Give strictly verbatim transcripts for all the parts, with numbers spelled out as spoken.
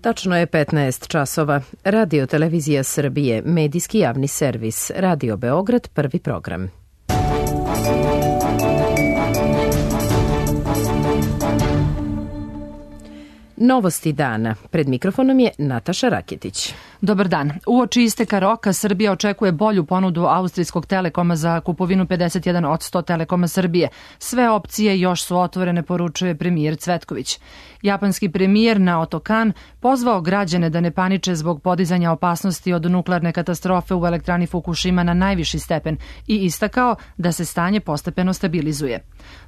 Tačno je petnaest časova. Radio Televizija Srbije, medijski javni servis, Radio Beograd, prvi program. Novosti dana. Pred mikrofonom je Nataša Raketić. Dobar dan. Uoči isteka roka Srbija očekuje bolju ponudu austrijskog Telekoma za kupovinu pedeset jedan posto Telekoma Srbije. Sve opcije još su otvorene, poručuje premijer Cvetković. Japanski premijer Naoto Kan pozvao građane da ne paniče zbog podizanja opasnosti od nuklearne katastrofe u elektrani Fukushima na najviši stepen i istakao da se stanje postepeno stabilizuje.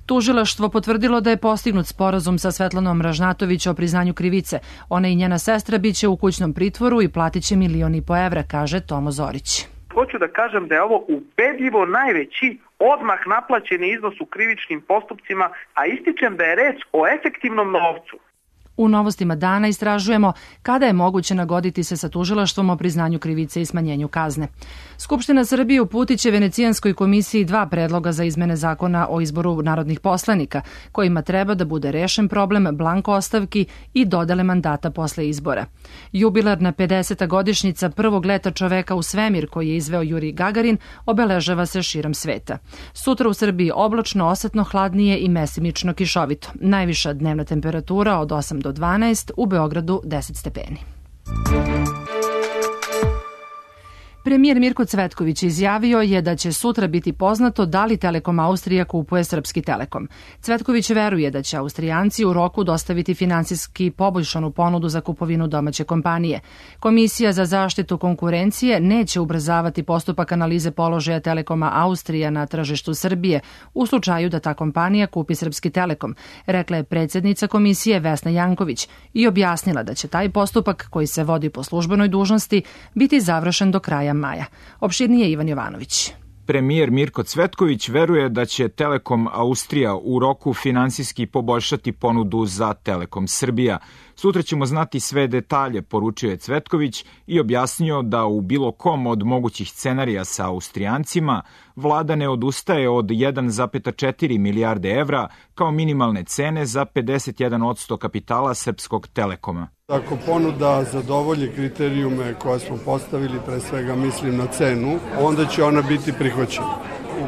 Tužilaštvo potvrdilo da je postignut sporazum sa Svetlanom Ražnatović o priznanju krivice. Ona i njena sestra biće u kućnom pritvoru i platit će milion i po evra, kaže Tomo Zorić. Hoću da kažem da je ovo ubedljivo najveći odmah naplaćeni iznos u krivičnim postupcima, a ističem da je reč o efektivnom novcu. U novostima dana istražujemo kada je moguće nagoditi se sa tužilaštvom o priznanju krivice i smanjenju kazne. Skupština Srbije uputit će Venecijanskoj komisiji dva predloga za izmene zakona o izboru narodnih poslanika, kojima treba da bude rešen problem blanko ostavki i dodele mandata posle izbora. Jubilarna pedeseta godišnjica prvog leta čoveka u svemir koji je izveo Jurij Gagarin obeležava se širom sveta. Sutra u Srbiji oblačno, osetno hladnije i mesimično kišovito. Najviša dnevna temperatura od osam do dvanaest, u Beogradu deset stepeni. Premijer Mirko Cvetković izjavio je da će sutra biti poznato da li Telekom Austrija kupuje Srpski Telekom. Cvetković veruje da će Austrijanci u roku dostaviti finansijski poboljšanu ponudu za kupovinu domaće kompanije. Komisija za zaštitu konkurencije neće ubrzavati postupak analize položaja Telekoma Austrija na tržištu Srbije u slučaju da ta kompanija kupi Srpski Telekom, rekla je predsjednica komisije Vesna Janković i objasnila da će taj postupak, koji se vodi po službenoj dužnosti, biti završen do kraja maja. Opširnije Ivan Jovanović. Premijer Mirko Cvetković veruje da će Telekom Austrija u roku finansijski poboljšati ponudu za Telekom Srbija. Sutra ćemo znati sve detalje, poručio je Cvetković i objasnio da u bilo kom od mogućih scenarija sa Austrijancima vlada ne odustaje od jedan zarez četiri milijarde evra kao minimalne cene za pedeset jedan posto kapitala Srpskog Telekoma. Ako ponuda zadovolji kriterijume koje smo postavili, pre svega mislim na cenu, onda će ona biti prihvaćena.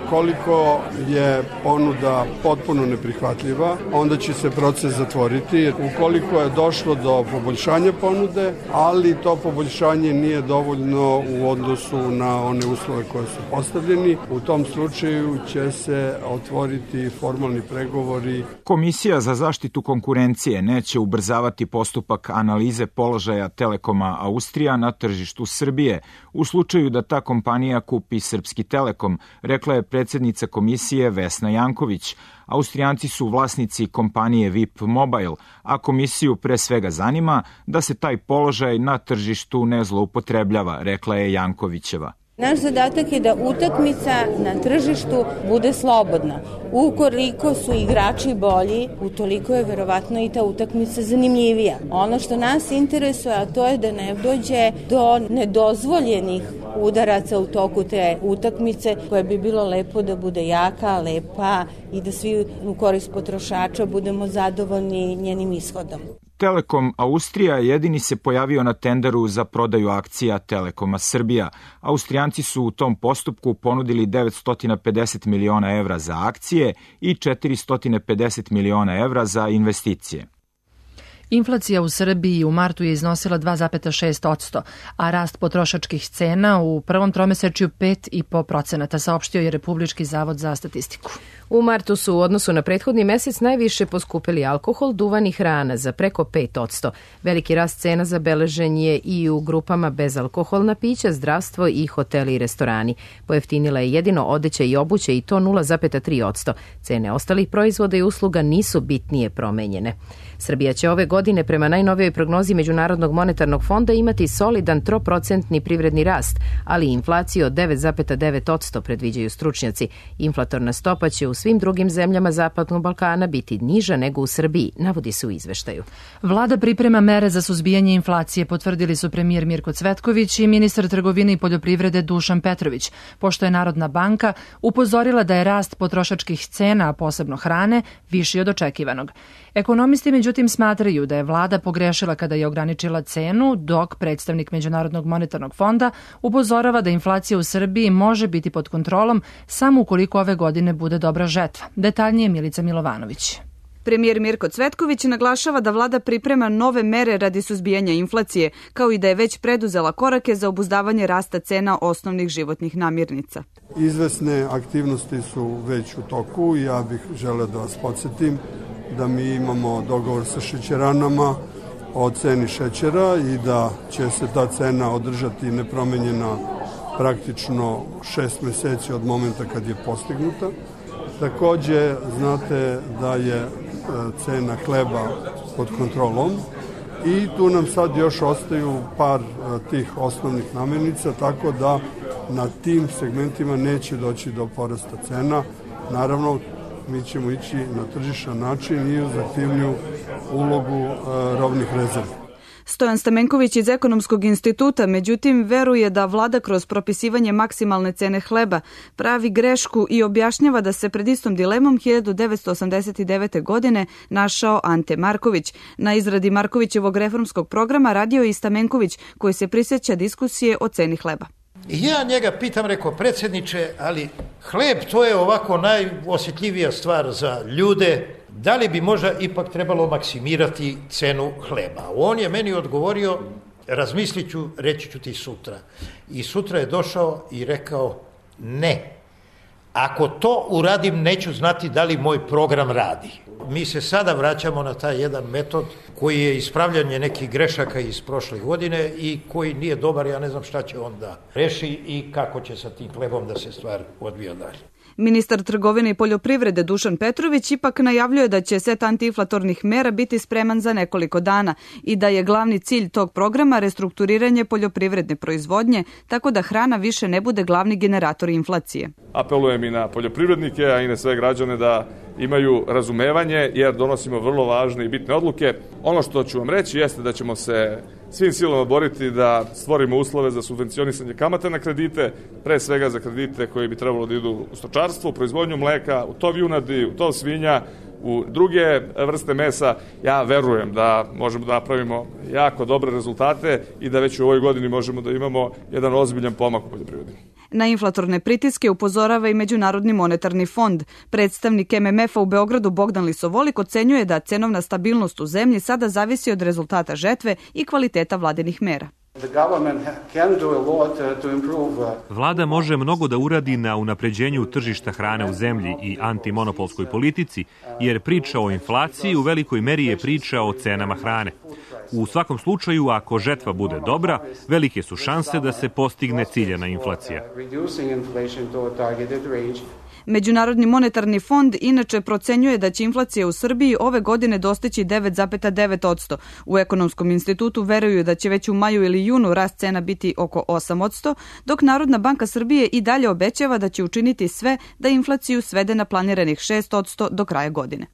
Ukoliko je ponuda potpuno neprihvatljiva, onda će se proces zatvoriti. Ukoliko je došlo do poboljšanja ponude, ali to poboljšanje nije dovoljno u odnosu na one uslove koje su postavljeni, u tom slučaju će se otvoriti formalni pregovori. Komisija za zaštitu konkurencije neće ubrzavati postupak analize položaja Telekoma Austrija na tržištu Srbije u slučaju da ta kompanija kupi Srpski Telekom, rekla je predsjednica komisije Vesna Janković. Austrijanci su vlasnici kompanije V I P Mobile, a komisiju pre svega zanima da se taj položaj na tržištu ne zloupotrebljava, rekla je Jankovićeva. Naš zadatak je da utakmica na tržištu bude slobodna. Ukoliko su igrači bolji, utoliko je verovatno i ta utakmica zanimljivija. Ono što nas interesuje, a to je da ne dođe do nedozvoljenih udaraca u toku te utakmice, koje bi bilo lepo da bude jaka, lepa i da svi u korist potrošača budemo zadovoljni njenim ishodom. Telekom Austrija jedini se pojavio na tenderu za prodaju akcija Telekoma Srbija. Austrijanci su u tom postupku ponudili devetsto pedeset miliona evra za akcije i četiristo pedeset miliona evra za investicije. Inflacija u Srbiji u martu je iznosila dva zarez šest posto, a rast potrošačkih cena u prvom tromesečju pet zarez pet posto, saopštio je Republički zavod za statistiku. U martu su u odnosu na prethodni mesec najviše poskupili alkohol, duvan i hrana za preko pet posto. Veliki rast cena zabeležen je i u grupama bezalkoholna pića, zdravstvo i hoteli i restorani. Pojeftinila je jedino odeća i obuće i to nula zarez tri posto. Cene ostalih proizvoda i usluga nisu bitnije promenjene. Srbija će ove godine prema najnovijoj prognozi Međunarodnog monetarnog fonda imati solidan troprocentni privredni rast, ali inflaciju od devet zarez devet posto predviđaju stručnjaci. Inflatorna stopa će u svim drugim zemljama Zapadnog Balkana biti niža nego u Srbiji, navodi se u izveštaju. Vlada priprema mere za suzbijanje inflacije, potvrdili su premijer Mirko Cvetković i ministar trgovine i poljoprivrede Dušan Petrović, pošto je Narodna banka upozorila da je rast potrošačkih cena, a posebno hrane, viši od očekivanog. Ekonomisti međutim smatraju da je vlada pogrešila kada je ograničila cenu, dok predstavnik Međunarodnog monetarnog fonda upozorava da inflacija u Srbiji može biti pod kontrolom samo ukoliko ove godine bude dobra žetva. Detaljnije Milica Milovanović. Premijer Mirko Cvetković naglašava da vlada priprema nove mere radi suzbijanja inflacije, kao i da je već preduzela korake za obuzdavanje rasta cena osnovnih životnih namirnica. Izvesne aktivnosti su već u toku i ja bih želeo da vas podsjetim da mi imamo dogovor sa šećeranama o ceni šećera i da će se ta cena održati nepromenjena praktično šest meseci od momenta kad je postignuta. Takođe, znate da je cena hleba pod kontrolom i tu nam sad još ostaju par tih osnovnih namirnica, tako da na tim segmentima neće doći do porasta cena. Naravno, mi ćemo ići na tržišan način i uz aktivniju ulogu robnih rezervi. Stojan Stamenković iz Ekonomskog instituta, međutim, veruje da vlada kroz propisivanje maksimalne cene hleba pravi grešku i objašnjava da se pred istom dilemom hiljadu devetsto osamdeset devete. godine našao Ante Marković. Na izradi Markovićevog reformskog programa radio je i Stamenković, koji se prisjeća diskusije o ceni hleba. I ja njega pitam, rekao, predsjedniče, ali hleb to je ovako najosjetljivija stvar za ljude, da li bi možda ipak trebalo maksimirati cenu hleba? On je meni odgovorio, razmislit ću, reći ću ti sutra. I sutra je došao i rekao, ne. Ako to uradim, neću znati da li moj program radi. Mi se sada vraćamo na taj jedan metod koji je ispravljanje nekih grešaka iz prošle godine i koji nije dobar, ja ne znam šta će onda reši i kako će sa tim hlebom da se stvar odvija dalje. Ministar trgovine i poljoprivrede Dušan Petrović ipak najavljuje da će set antiinflatornih mera biti spreman za nekoliko dana i da je glavni cilj tog programa restrukturiranje poljoprivredne proizvodnje, tako da hrana više ne bude glavni generator inflacije. Apelujem i na poljoprivrednike, a i na sve građane da imaju razumevanje, jer donosimo vrlo važne i bitne odluke. Ono što ću vam reći jeste da ćemo se svim silama boriti da stvorimo uslove za subvencionisanje kamate na kredite, pre svega za kredite koji bi trebalo da idu u stočarstvo, u proizvodnju mleka, u tov junadi, u tov svinja, u druge vrste mesa. Ja verujem da možemo da napravimo jako dobre rezultate i da već u ovoj godini možemo da imamo jedan ozbiljan pomak u poljoprivredi. Na inflatorne pritiske upozorava i Međunarodni monetarni fond. Predstavnik M M F-a u Beogradu Bogdan Lisovolik ocenjuje da cenovna stabilnost u zemlji sada zavisi od rezultata žetve i kvaliteta vladinih mera. Vlada može mnogo da uradi na unapređenju tržišta hrane u zemlji i antimonopolskoj politici, jer priča o inflaciji u velikoj meri je priča o cenama hrane. U svakom slučaju, ako žetva bude dobra, velike su šanse da se postigne ciljana inflacija. Međunarodni monetarni fond inače procenjuje da će inflacija u Srbiji ove godine dostići devet zarez devet posto. U Ekonomskom institutu veruju da će već u maju ili junu rast cena biti oko osam posto, dok Narodna banka Srbije i dalje obećava da će učiniti sve da inflaciju svede na planiranih šest posto do kraja godine.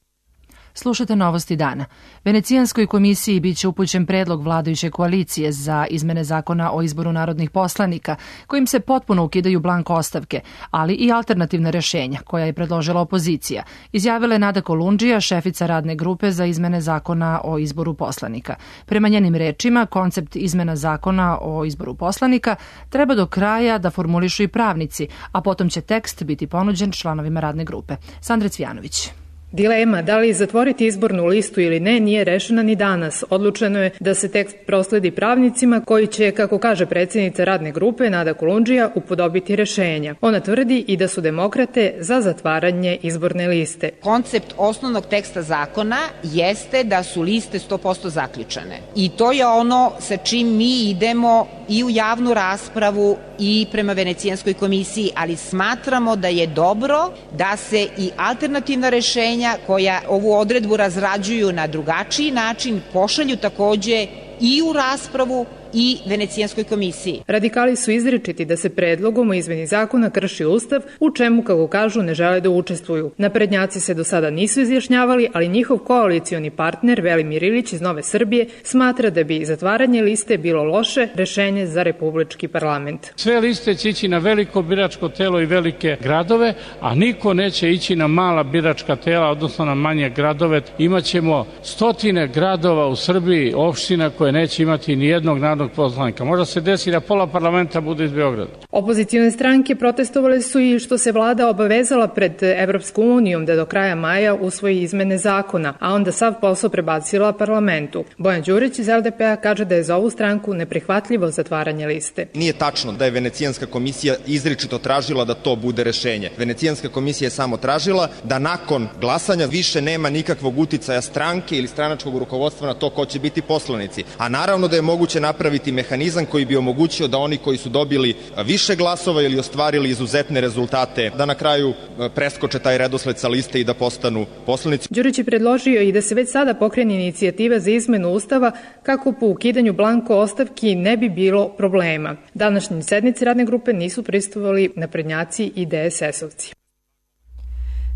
Slušate novosti dana. Venecijanskoj komisiji biće upućen predlog vladajuće koalicije za izmene zakona o izboru narodnih poslanika, kojim se potpuno ukidaju blanko ostavke, ali i alternativna rešenja koja je predložila opozicija, izjavila je Nada Kolundžija, šefica radne grupe za izmene zakona o izboru poslanika. Prema njenim rečima, koncept izmena zakona o izboru poslanika treba do kraja da formulišu i pravnici, a potom će tekst biti ponuđen članovima radne grupe. Sandra Cvijanović. Dilema da li zatvoriti izbornu listu ili ne nije rešena ni danas. Odlučeno je da se tekst prosledi pravnicima koji će, kako kaže predsjednica radne grupe Nada Kolundžija, upodobiti rešenja. Ona tvrdi i da su demokrate za zatvaranje izborne liste. Koncept osnovnog teksta zakona jeste da su liste sto posto zaključane. I to je ono sa čim mi idemo i u javnu raspravu i prema Venecijanskoj komisiji, ali smatramo da je dobro da se i alternativna rešenja koja ovu odredbu razrađuju na drugačiji način pošalju takođe i u raspravu i Venecijanskoj komisiji. Radikali su izričiti da se predlogom o izmeni zakona krši Ustav, u čemu, kako kažu, ne žele da učestvuju. Naprednjaci se do sada nisu izjašnjavali, ali njihov koalicioni partner Velimir Ilić iz Nove Srbije smatra da bi zatvaranje liste bilo loše rešenje za republički parlament. Sve liste će ići na veliko biračko telo i velike gradove, a niko neće ići na mala biračka tela, odnosno na manje gradove. Imaćemo stotine gradova u Srbiji, opština koje neće imati ni jednog narodnog poslanika. Možda se desi da pola parlamenta bude iz Beograda. Opozicione stranke protestovale su i što se vlada obavezala pred Evropskom unijom da do kraja maja usvoji izmene zakona, a onda sav posao prebacila parlamentu. Bojan Đurić iz L D P-a kaže da je za ovu stranku neprihvatljivo zatvaranje liste. Nije tačno da je Venecijanska komisija izričito tražila da to bude rešenje. Venecijanska komisija je samo tražila da nakon glasanja više nema nikakvog uticaja stranke ili stranačkog rukovodstva na to ko će biti poslanici. A naravno da je moguće napraviti mehanizam koji bi omogućio da oni koji su dobili više glasova ili ostvarili izuzetne rezultate, da na kraju preskoče taj redosled sa liste i da postanu poslanici. Đurić je predložio i da se već sada pokrene inicijativa za izmenu Ustava kako po ukidanju blanko ostavki ne bi bilo problema. Današnji sednici radne grupe nisu prisustvovali naprednjaci i D S S-ovci.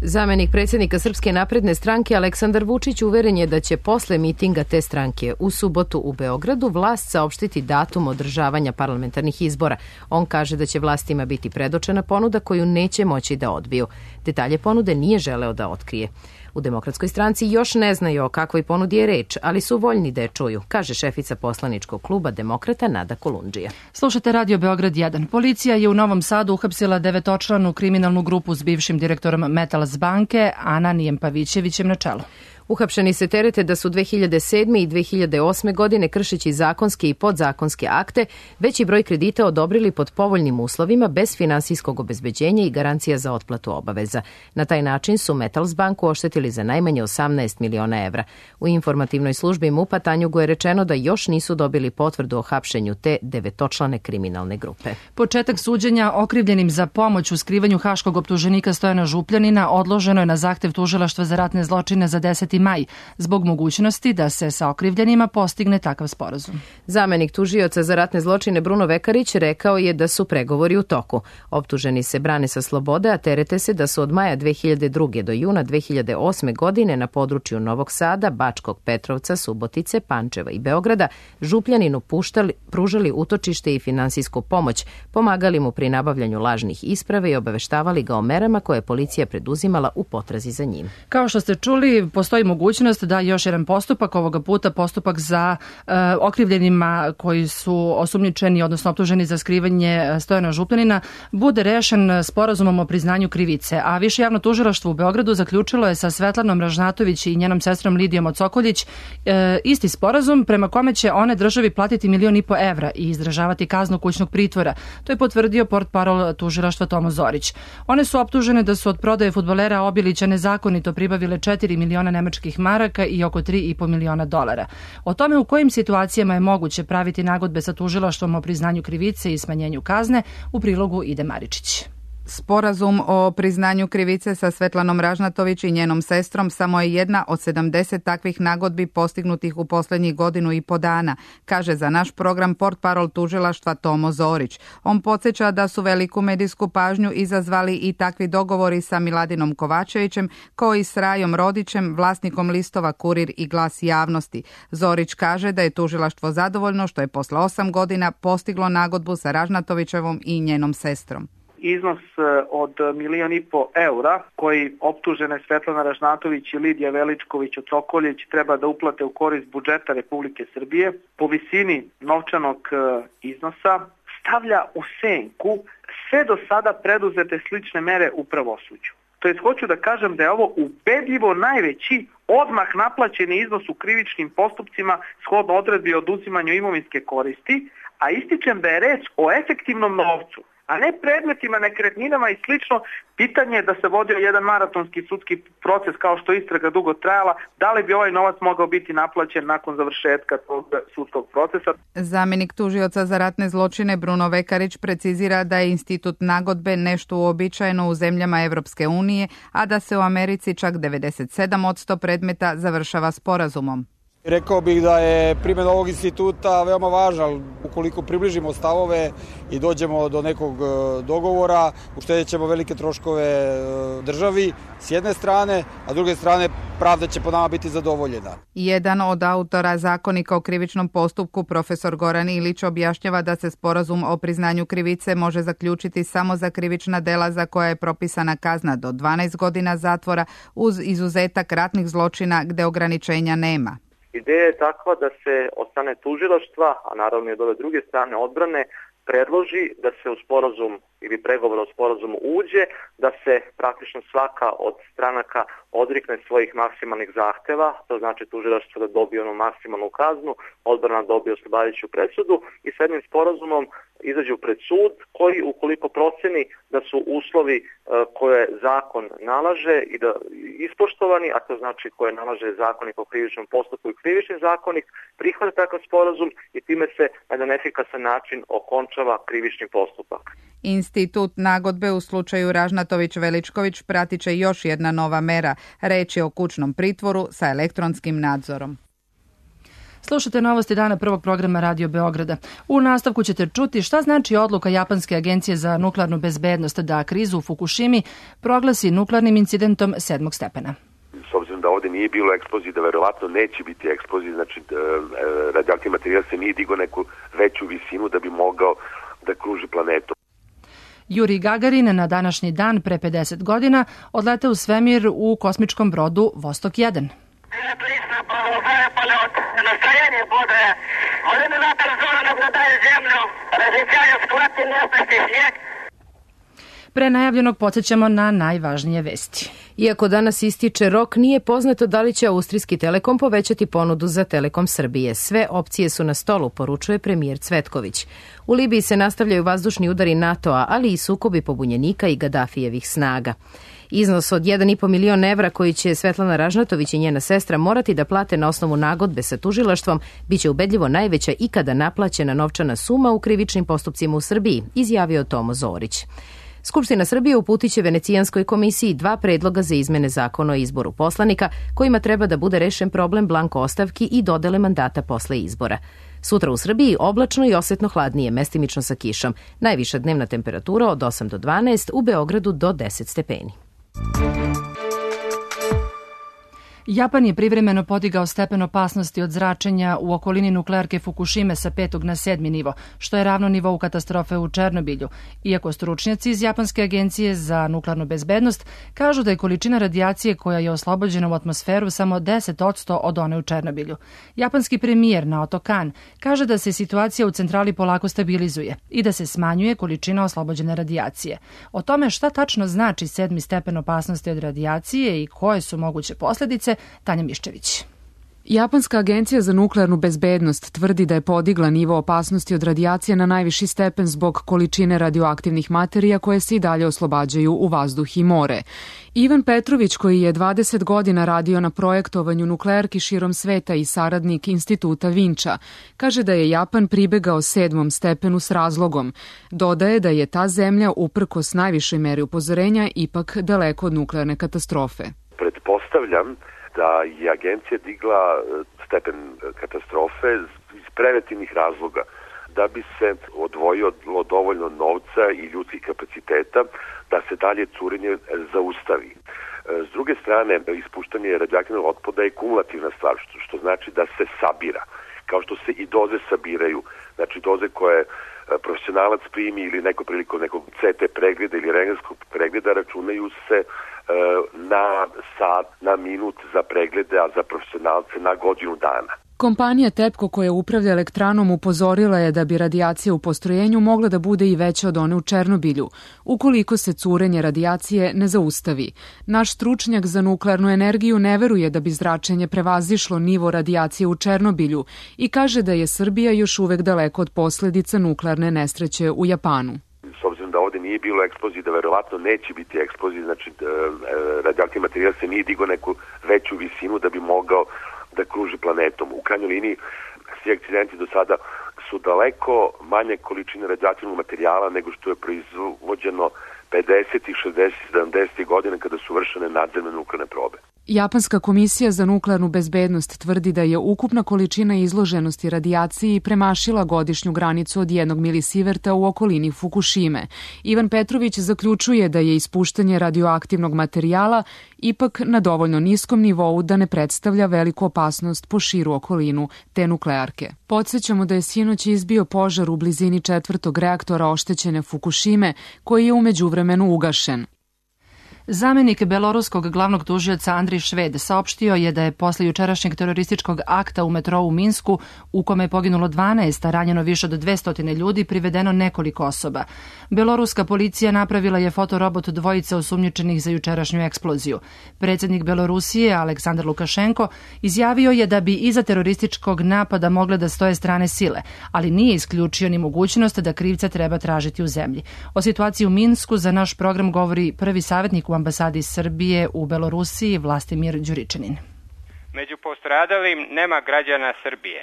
Zamenik predsjednika Srpske napredne stranke Aleksandar Vučić uveren je da će posle mitinga te stranke u subotu u Beogradu vlast saopštiti datum održavanja parlamentarnih izbora. On kaže da će vlastima biti predočena ponuda koju neće moći da odbiju. Detalje ponude nije želeo da otkrije. U Demokratskoj stranci još ne znaju o kakvoj ponudi je reč, ali su voljni da je čuju, kaže šefica poslaničkog kluba Demokrata Nada Kolundžija. Slušate Radio Beograd jedan. Policija je u Novom Sadu uhapsila devetočlanu kriminalnu grupu s bivšim direktorom Metals banke Ananijem Pavićevićem na čelu. Uhapšeni se terete da su dve hiljade sedme i dve hiljade osme godine, kršeći zakonske i podzakonske akte, veći broj kredita odobrili pod povoljnim uslovima bez finansijskog obezbeđenja i garancija za otplatu obaveza. Na taj način su Metals banku oštetili za najmanje osamnaest miliona evra. U informativnoj službi MUP-a Tanjugu je rečeno da još nisu dobili potvrdu o hapšenju te devetočlane kriminalne grupe. Početak suđenja okrivljenim za pomoć u skrivanju haškog optuženika Stojana Župljanina odloženo je na zahtev tužilaštva za ratne zločine za deseti maj, zbog mogućnosti da se sa okrivljenima postigne takav sporazum. Zamenik tužioca za ratne zločine Bruno Vekarić rekao je da su pregovori u toku. Optuženi se brane sa slobode, a terete se da su od maja dve hiljade druge do juna dve hiljade osme godine na području Novog Sada, Bačkog Petrovca, Subotice, Pančeva i Beograda Župljaninu puštali, pružali utočište i finansijsku pomoć, pomagali mu pri nabavljanju lažnih isprave i obaveštavali ga o merama koje je policija preduzimala u potrazi za njim. Kao što ste čuli, postoji mogućnost da još jedan postupak, ovoga puta postupak za e, okrivljenima koji su osumnjičeni, odnosno optuženi za skrivanje Stojana Župljanina, bude rešen sporazumom o priznanju krivice. A Više javno tužilaštvo u Beogradu zaključilo je sa Svetlanom Ražnatović i njenom sestrom Lidijom Ocokoljić e, isti sporazum prema kome će one državi platiti milion i po evra i izdržavati kaznu kućnog pritvora. To je potvrdio portparol tužilaštva Tomo Zorić. One su optužene da su od prodaje fudbalera Obilića nezakonito pribavile četiri miliona nemačkih maraka i oko tri i po miliona dolara. O tome u kojim situacijama je moguće praviti nagodbe sa tužilaštvom o priznanju krivice i smanjenju kazne, u prilogu Ide Maričić. Sporazum o priznanju krivice sa Svetlanom Ražnatović i njenom sestrom samo je jedna od sedamdeset takvih nagodbi postignutih u poslednjih godinu i po dana, kaže za naš program portparol tužilaštva Tomo Zorić. On podsjeća da su veliku medijsku pažnju izazvali i takvi dogovori sa Miladinom Kovačevićem, kao i s Rajom Rodićem, vlasnikom listova Kurir i Glas javnosti. Zorić kaže da je tužilaštvo zadovoljno što je posle osam godina postiglo nagodbu sa Ražnatovićevom i njenom sestrom. Iznos od milion i po eura koji optužene Svetlana Ražnatović i Lidija Veličković Ocokoljić treba da uplate u korist budžeta Republike Srbije po visini novčanog iznosa stavlja u senku sve do sada preduzete slične mere u pravosuđu. To jest, hoću da kažem da je ovo ubedljivo najveći odmah naplaćeni iznos u krivičnim postupcima shodno odredbi o oduzimanju imovinske koristi, a ističem da je reč o efektivnom novcu, a ne predmetima, nekretninama i slično. Pitanje je da se vodio jedan maratonski sudski proces kao što istraga dugo trajala, da li bi ovaj novac mogao biti naplaćen nakon završetka tog sudskog procesa. Zamenik tužioca za ratne zločine Bruno Vekarić precizira da je institut nagodbe nešto uobičajeno u zemljama Evropske unije, a da se u Americi čak devedeset sedam posto predmeta završava sporazumom. Rekao bih da je primjena ovog instituta veoma važna. Ukoliko približimo stavove i dođemo do nekog dogovora, uštedjet ćemo velike troškove državi s jedne strane, a s druge strane pravda će po nama biti zadovoljena. Jedan od autora Zakonika o krivičnom postupku, profesor Goran Ilić, objašnjava da se sporazum o priznanju krivice može zaključiti samo za krivična dela za koja je propisana kazna do dvanaest godina zatvora uz izuzetak ratnih zločina gde ograničenja nema. Ideja je takva da se od strane tužilaštva, a naravno i od ove druge strane odbrane, predloži da se u sporazum ili pregovor o sporazumu uđe, da se praktično svaka od stranaka odrikne svojih maksimalnih zahteva, to znači tužilaštvo da dobije onu maksimalnu kaznu, odbrana dobije oslobađajuću presudu i s jednim sporazumom izađu pred sud koji ukoliko proceni da su uslovi koje zakon nalaže i da ispoštovani, a to znači koje nalaže zakonik o krivičnom postupku i krivični zakonik, prihvata takav sporazum i time se na jedan efikasan način okončava krivični postupak. Institut nagodbe u slučaju Ražnatović-Veličković pratit će još jedna nova mera. Reč je o kućnom pritvoru sa elektronskim nadzorom. Slušate novosti dana prvog programa Radio Beograda. U nastavku ćete čuti šta znači odluka Japanske agencije za nuklearnu bezbednost da krizu u Fukušimi proglasi nuklearnim incidentom sedmog stepena. S obzirom da ovde nije bilo eksplozije, da verovatno neće biti eksplozije, znači radioaktivni materijal se nije digao neku veću visinu da bi mogao da kruži planetu. Juri Gagarin na današnji dan pre pedeset godina odleteo u svemir u kosmičkom brodu Vostok jedan. Pre najavljenog podsjećamo na najvažnije vesti. Iako danas ističe rok, nije poznato da li će Austrijski Telekom povećati ponudu za Telekom Srbije. Sve opcije su na stolu, poručuje premijer Cvetković. U Libiji se nastavljaju vazdušni udari NATO-a, ali i sukobi pobunjenika i Gadafijevih snaga. Iznos od jedan i po milion evra koji će Svetlana Ražnatović i njena sestra morati da plate na osnovu nagodbe sa tužilaštvom biće ubedljivo najveća ikada naplaćena novčana suma u krivičnim postupcima u Srbiji, izjavio Tomo Zorić. Skupština Srbije uputiće Venecijanskoj komisiji dva predloga za izmene zakona o izboru poslanika, kojima treba da bude rešen problem blanko ostavki i dodele mandata posle izbora. Sutra u Srbiji oblačno i osetno hladnije, mestimično sa kišom. Najviša dnevna temperatura od osam do dvanaest, u Beogradu do deset stepeni. Japan je privremeno podigao stepen opasnosti od zračenja u okolini nuklearke Fukušime sa petog na sedmi nivo, što je ravno nivou katastrofe u Černobilju. Iako stručnjaci iz Japanske agencije za nuklearnu bezbednost kažu da je količina radijacije koja je oslobođena u atmosferu samo deset posto od one u Černobilju. Japanski premijer Naoto Kan kaže da se situacija u centrali polako stabilizuje i da se smanjuje količina oslobođene radijacije. O tome šta tačno znači sedmi stepen opasnosti od radijacije i koje su moguće posljedice, Tanja Miščević. Japanska agencija za nuklearnu bezbednost tvrdi da je podigla nivo opasnosti od radijacije na najviši stepen zbog količine radioaktivnih materija koje se i dalje oslobađaju u vazduh i more. Ivan Petrović, koji je dvadeset godina radio na projektovanju nuklearki širom sveta i saradnik Instituta Vinča, kaže da je Japan pribegao sedmom stepenu s razlogom. Dodaje da je ta zemlja, uprkos najvišoj meri upozorenja, ipak daleko od nuklearne katastrofe. Pretpostavljam da je agencija digla stepen katastrofe iz preventivnih razloga, da bi se odvojilo dovoljno novca i ljudskih kapaciteta da se dalje curenje zaustavi. S druge strane, ispuštanje radioaktivnog otpada je kumulativna stvar, što, što znači da se sabira, kao što se i doze sabiraju. Znači doze koje profesionalac primi ili neko prilikom nekog C T pregleda ili rentgenskog pregleda računaju se na sat, na minut za preglede, a za profesionalce na godinu dana. Kompanija TEPCO koja upravlja elektranom upozorila je da bi radijacija u postrojenju mogla da bude i veća od one u Černobilju, ukoliko se curenje radijacije ne zaustavi. Naš stručnjak za nuklearnu energiju ne veruje da bi zračenje prevazišlo nivo radijacije u Černobilju i kaže da je Srbija još uvek daleko od posledica nuklearne nesreće u Japanu. S obzirom da ovde nije bilo eksplozije, da verovatno neće biti eksplozije, znači radioaktivni materijal se nije digao neku veću visinu da bi mogao da kruži planetom. U krajnjoj liniji svi akcidenti do sada su daleko manje količine radioaktivnog materijala nego što je proizvođeno pedesetih, šezdesetih, sedamdesetih godina kada su vršene nadzemne nuklearne probe. Japanska komisija za nuklearnu bezbednost tvrdi da je ukupna količina izloženosti radijaciji premašila godišnju granicu od jednog milisiverta u okolini Fukushime. Ivan Petrović zaključuje da je ispuštanje radioaktivnog materijala ipak na dovoljno niskom nivou da ne predstavlja veliku opasnost po širu okolinu te nuklearke. Podsjećamo da je sinoć izbio požar u blizini četvrtog reaktora oštećene Fukushime, koji je u međuvremenu ugašen. Zamenik beloruskog glavnog tužioca Andrij Šved saopštio je da je posle jučerašnjeg terorističkog akta u metrou u Minsku, u kome je poginulo dvanaest, a ranjeno više od dvesta ljudi, privedeno nekoliko osoba. Beloruska policija napravila je fotorobot dvojice osumnjičenih za jučerašnju eksploziju. Predsjednik Belorusije, Aleksandar Lukašenko, izjavio je da bi iza terorističkog napada mogle da stoje strane sile, ali nije isključio ni mogućnost da krivca treba tražiti u zemlji. O situaciji u Minsku za naš program govori prvi savjetnik u ambasadi Srbije u Belorusiji, Vlastimir Đuričanin. Među postradalim nema građana Srbije.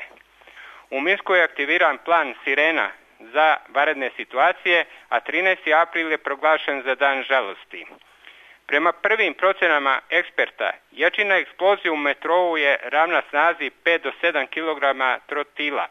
U Minsku je aktiviran plan Sirena za vanredne situacije, a trinaesti april je proglašen za dan žalosti. Prema prvim procenama eksperta, jačina eksplozije u metrou je ravna snazi pet do sedam kilograma trotila.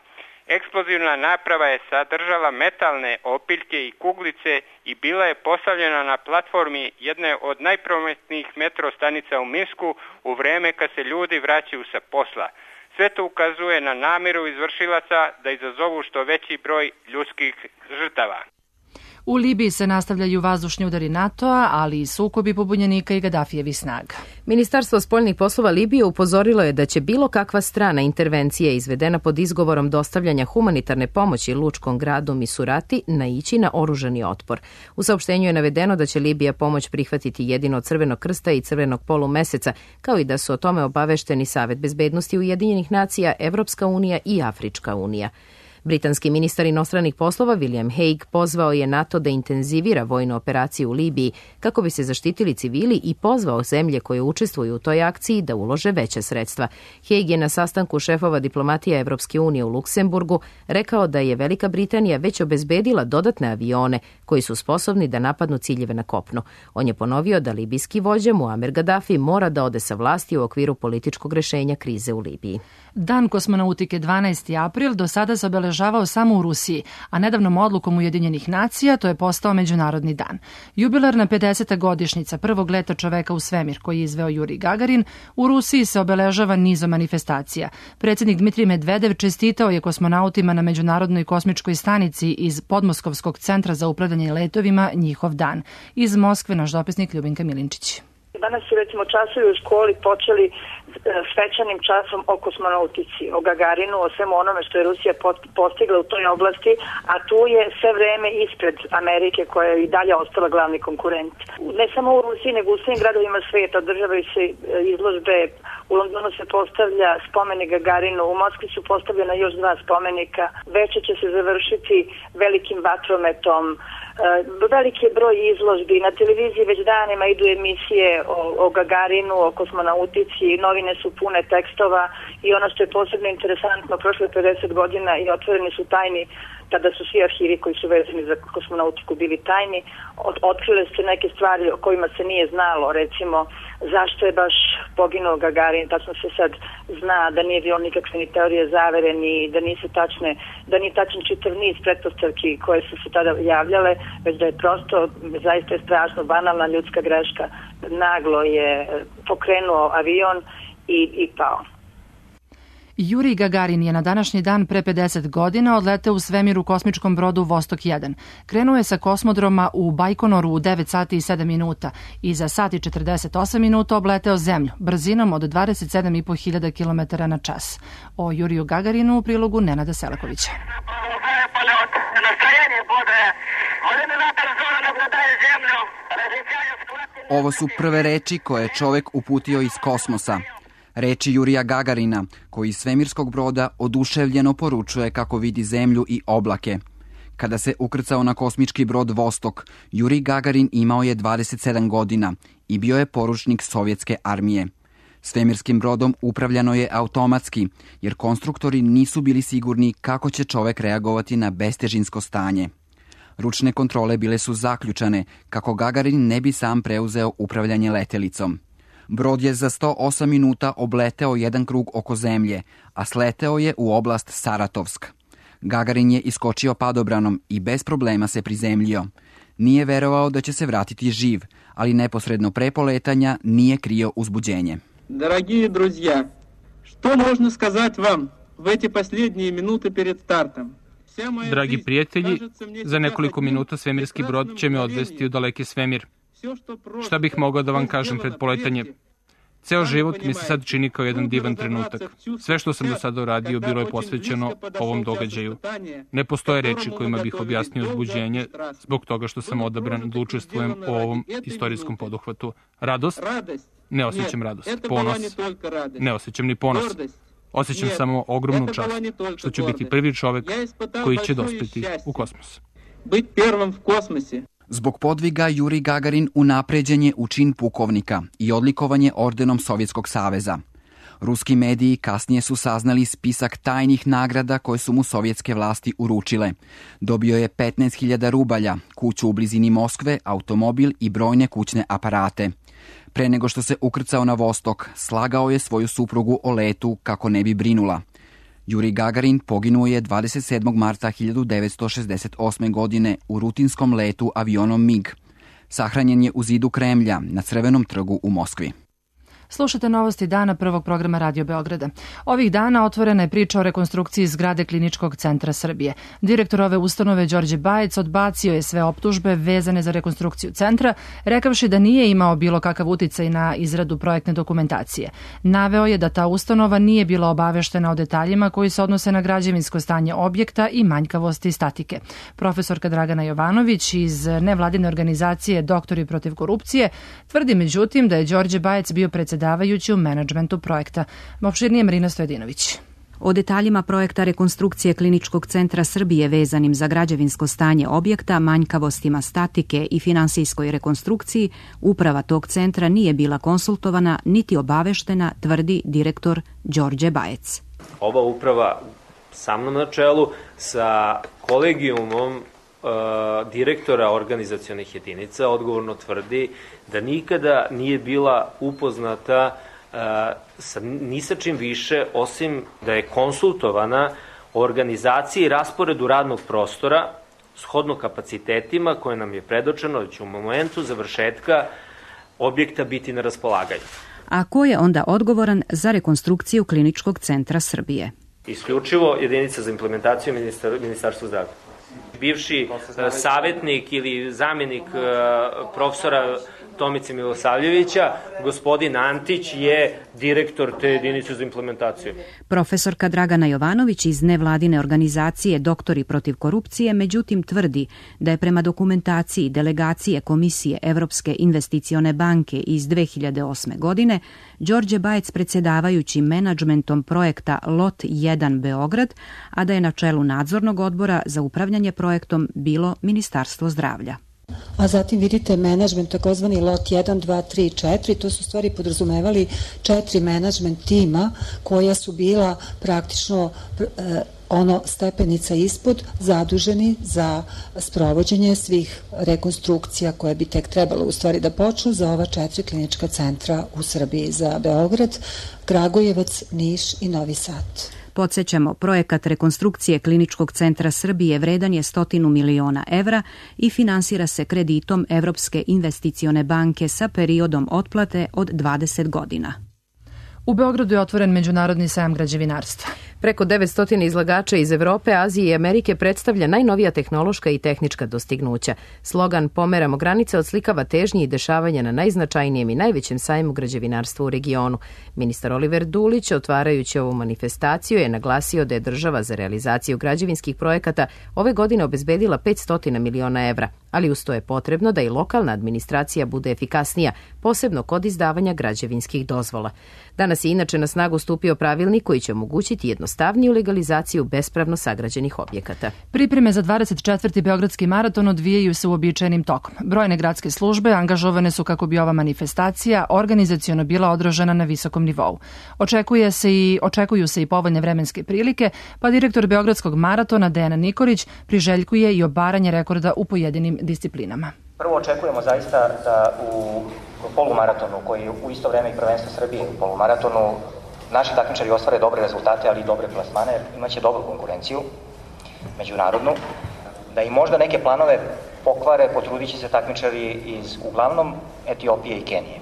Eksplozivna naprava je sadržala metalne opiljke i kuglice i bila je postavljena na platformi jedne od najprometnijih metro stanica u Minsku u vreme kad se ljudi vraćaju sa posla. Sve to ukazuje na namjeru izvršilaca da izazovu što veći broj ljudskih žrtava. U Libiji se nastavljaju vazdušni udari NATO-a, ali i sukobi pobunjenika i Gadafijevih snaga. Ministarstvo spoljnih poslova Libije upozorilo je da će bilo kakva strana intervencija izvedena pod izgovorom dostavljanja humanitarne pomoći lučkom gradu Misurati naići na oružani otpor. U saopštenju je navedeno da će Libija pomoć prihvatiti jedino od Crvenog krsta i Crvenog polumeseca, kao i da su o tome obavešteni Savet bezbednosti Ujedinjenih nacija, Evropska unija i Afrička unija. Britanski ministar inostranih poslova William Hague pozvao je NATO da intenzivira vojnu operaciju u Libiji kako bi se zaštitili civili i pozvao zemlje koje učestvuju u toj akciji da ulože veća sredstva. Hague je na sastanku šefova diplomatije Evropske unije u Luksemburgu rekao da je Velika Britanija već obezbedila dodatne avione koji su sposobni da napadnu ciljeve na kopnu. On je ponovio da libijski vođa Muamer Gaddafi mora da ode sa vlasti u okviru političkog rešenja krize u Libiji. Dan kosmonautike dvanaesti april do sada se obeležavao samo u Rusiji, a nedavnom odlukom Ujedinjenih nacija to je postao međunarodni dan. Jubilarna pedeseta godišnjica prvog leta čoveka u svemir koji je izveo Jurij Gagarin u Rusiji se obeležava nizom manifestacija. Predsjednik Dmitrij Medvedev čestitao je kosmonautima na Međunarodnoj kosmičkoj stanici iz Podmoskovskog centra za upravljanje letovima njihov dan. Iz Moskve naš dopisnik Ljubinka Milinčić. Danas su recimo časovi u školi počeli svečanim časom o kosmonautici, o Gagarinu, o svemu onome što je Rusija postigla u toj oblasti, a tu je sve vreme ispred Amerike koja je i dalje ostala glavni konkurent. Ne samo u Rusiji, nego u svim gradovima svijeta održavaju se izložbe. U Londonu se postavlja spomenik Gagarinu, u Moskvi su postavljena još dva spomenika. Večer će se završiti velikim vatrometom. Veliki je broj izložbi. Na televiziji već danima idu emisije o, o Gagarinu, o kosmonautici, novine su pune tekstova i ono što je posebno interesantno, prošle pedeset godina i otvoreni su tajni, tada su svi arhivi koji su vezani za kosmonautiku bili tajni, Od, otkrile se neke stvari o kojima se nije znalo, recimo zašto je baš poginuo Gagarin, tačno se sad zna da nije bilo nikakve ni teorije zavere, ni da nisu tačne, da nije tačan čitav niz pretpostavki koje su se tada javljale, već da je prosto, zaista je strašno banalna ljudska greška, naglo je pokrenuo avion i, i pao. Jurij Gagarin je na današnji dan pre pedeset godina odleteo u svemir u kosmičkom brodu Vostok jedan. Krenuo je sa kosmodroma u Bajkonoru u devet sati i sedam minuta i za sat i četrdeset osam minuta obleteo zemlju brzinom od dvadeset sedam i po hiljada kilometara na čas. O Juriju Gagarinu u prilogu Nenada Selakovića. Ovo su prve reči koje je čovek uputio iz kosmosa. Reči Jurija Gagarina, koji iz svemirskog broda oduševljeno poručuje kako vidi zemlju i oblake. Kada se ukrcao na kosmički brod Vostok, Jurij Gagarin imao je dvadeset sedam godina i bio je poručnik sovjetske armije. Svemirskim brodom upravljano je automatski, jer konstruktori nisu bili sigurni kako će čovek reagovati na bestežinsko stanje. Ručne kontrole bile su zaključane kako Gagarin ne bi sam preuzeo upravljanje letelicom. Brod je za sto osam minuta obleteo jedan krug oko zemlje, a sleteo je u oblast Saratovsk. Gagarin je iskočio padobranom i bez problema se prizemljio. Nije verovao da će se vratiti živ, ali neposredno pre poletanja nije krio uzbuđenje. Дорогие друзья, что можно сказать вам в эти последние минуты перед стартом? Dragi prijatelji, za nekoliko minuta svemirski brod će me odvesti u daleki svemir. Šta bih mogao da vam kažem pred poletanje? Ceo život mi se sad čini kao jedan divan trenutak. Sve što sam do sada uradio bilo je posvećeno ovom događaju. Ne postoje reči kojima bih objasnio uzbuđenje zbog toga što sam odabran da učestvujem u ovom istorijskom poduhvatu. Radost? Ne osjećam radost. Ponos? Ne osjećam ni ponos. Osjećam samo ogromnu čast što ću biti prvi čovek koji će dospeti u kosmos. Zbog podviga Juri Gagarin unapređen je u čin pukovnika i odlikovanje ordenom Sovjetskog saveza. Ruski mediji kasnije su saznali spisak tajnih nagrada koje su mu sovjetske vlasti uručile. Dobio je petnaest hiljada rubalja, kuću u blizini Moskve, automobil i brojne kućne aparate. Pre nego što se ukrcao na Vostok, slagao je svoju suprugu o letu kako ne bi brinula. Juri Gagarin poginuo je dvadeset sedmog marta hiljadu devetsto šezdeset osme. godine u rutinskom letu avionom MiG. Sahranjen je u zidu Kremlja na Crvenom trgu u Moskvi. Slušate novosti dana prvog programa Radio Beograda. Ovih dana otvorena je priča o rekonstrukciji zgrade Kliničkog centra Srbije. Direktor ove ustanove Đorđe Bajec odbacio je sve optužbe vezane za rekonstrukciju centra, rekavši da nije imao bilo kakav uticaj na izradu projektne dokumentacije. Naveo je da ta ustanova nije bila obaveštena o detaljima koji se odnose na građevinsko stanje objekta i manjkavosti statike. Profesorka Dragana Jovanović iz nevladine organizacije Doktori protiv korupcije tvrdi međutim da je Đorđe Bajec bio predsjedavajući u menadžmentu projekta. Opširnije Marina Stojedinović. O detaljima projekta rekonstrukcije Kliničkog centra Srbije vezanim za građevinsko stanje objekta, manjkavostima statike i finansijskoj rekonstrukciji, uprava tog centra nije bila konsultovana niti obaveštena, tvrdi direktor Đorđe Bajec. Ova uprava sa mnom na čelu sa kolegijumom direktora organizacionih jedinica odgovorno tvrdi da nikada nije bila upoznata sa, ni sa čim više osim da je konsultovana o organizaciji i rasporedu radnog prostora shodno kapacitetima koje nam je predočeno da će u momentu završetka objekta biti na raspolaganju. A ko je onda odgovoran za rekonstrukciju Kliničkog centra Srbije? Isključivo jedinica za implementaciju ministar, Ministarstva zdravlja. Bivši savjetnik ili zamjenik profesora Tomice Milosavljevića, gospodin Antić je direktor te jedinice za implementaciju. Profesorka Dragana Jovanović iz nevladine organizacije Doktori protiv korupcije međutim tvrdi da je prema dokumentaciji delegacije Komisije Evropske investicione banke iz dve hiljade osme. godine Đorđe Bajec predsjedavajući menadžmentom projekta Lot jedan Beograd, a da je na čelu nadzornog odbora za upravljanje projektom bilo Ministarstvo zdravlja. A zatim vidite menadžment, takozvani lot jedan, dva, tri, četiri, to su stvari podrazumevali četiri menadžment tima koja su bila praktično e, ono stepenica ispod zaduženi za sprovođenje svih rekonstrukcija koje bi tek trebalo u stvari da počnu za ova četiri klinička centra u Srbiji, za Beograd, Kragujevac, Niš i Novi Sad. Podsjećamo, projekat rekonstrukcije Kliničkog centra Srbije vredan je stotinu miliona evra i finansira se kreditom Evropske investicione banke sa periodom otplate od dvadeset godina. U Beogradu je otvoren Međunarodni sajam građevinarstva. Preko devetsto izlagača iz Evrope, Azije i Amerike predstavlja najnovija tehnološka i tehnička dostignuća. Slogan "Pomeramo granice" odslikava težnje i dešavanja na najznačajnijem i najvećem sajmu građevinarstva u regionu. Ministar Oliver Dulić, otvarajući ovu manifestaciju, je naglasio da je država za realizaciju građevinskih projekata ove godine obezbedila petsto miliona evra, ali uz to je potrebno da i lokalna administracija bude efikasnija, posebno kod izdavanja građevinskih dozvola. Danas je inače na snagu stupio pravilnik koji će omogućiti jednostavniju legalizaciju bespravno sagrađenih objekata. Pripreme za dvadeset četvrti Beogradski maraton odvijaju se uobičajenim tokom. Brojne gradske službe angažovane su kako bi ova manifestacija organizaciono bila održana na visokom nivou. Očekuje se i, očekuju se i povoljne vremenske prilike, pa direktor Beogradskog maratona Dejan Nikolić priželjkuje i obaranje rekorda u pojedinim disciplinama. Prvo očekujemo zaista da u polumaratonu, koji je u isto vreme i prvenstvo Srbije u polumaratonu, naši takmičari ostvare dobre rezultate, ali i dobre plasmane, imaće dobru konkurenciju, međunarodnu, da i možda neke planove pokvare, potrudit će se takmičari iz uglavnom Etiopije i Kenije.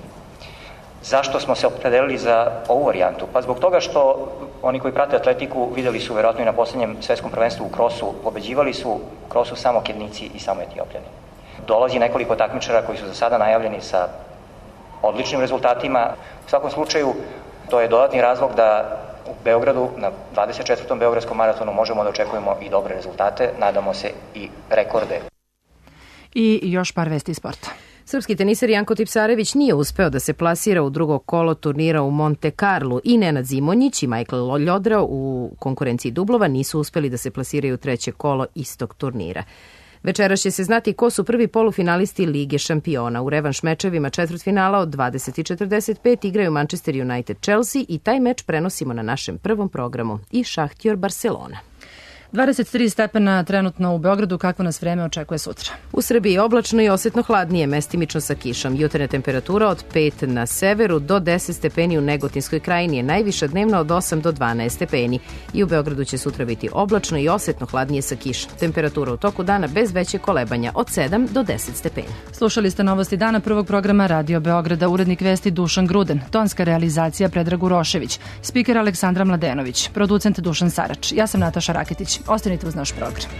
Zašto smo se opredelili za ovu varijantu? Pa zbog toga što oni koji prate atletiku videli su verovatno i na poslednjem svetskom prvenstvu u krosu, pobeđivali su u krosu samo Kenijci i samo Etiopljani. Dolazi nekoliko takmičara koji su za sada najavljeni sa odličnim rezultatima. U svakom slučaju, to je dodatni razlog da u Beogradu, na dvadeset četvrtom Beogradskom maratonu, možemo da očekujemo i dobre rezultate, nadamo se i rekorde. I još par vesti iz sporta. Srpski teniser Janko Tipsarević nije uspeo da se plasira u drugo kolo turnira u Monte Carlo i Nenad Zimonjić i Michael Ljodra u konkurenciji dublova nisu uspeli da se plasiraju u treće kolo istog turnira. Večeras će se znati ko su prvi polufinalisti Lige šampiona. U revanš mečevima četvrtfinala od dvadeset i četrdeset pet igraju Manchester United Chelsea i taj meč prenosimo na našem prvom programu i Šahtjor Barcelona. dvadeset tri stepena trenutno u Beogradu, kakvo nas vreme očekuje sutra? U Srbiji oblačno i osetno hladnije, mestimično sa kišom. Jutarnja temperatura od pet na severu do deset stepeni u Negotinskoj krajini je najviša dnevna od osam do dvanaest stepeni. I u Beogradu će sutra biti oblačno i osetno hladnije sa kišom. Temperatura u toku dana bez veće kolebanja od sedam do deset stepeni. Slušali ste novosti dana prvog programa Radio Beograda, urednik vesti Dušan Gruden, tonska realizacija Predrag Urošević, spiker Aleksandra Mladenović, producent Dušan Sarač. Ja sam Nataša Raketić. Ostanite uz naš program.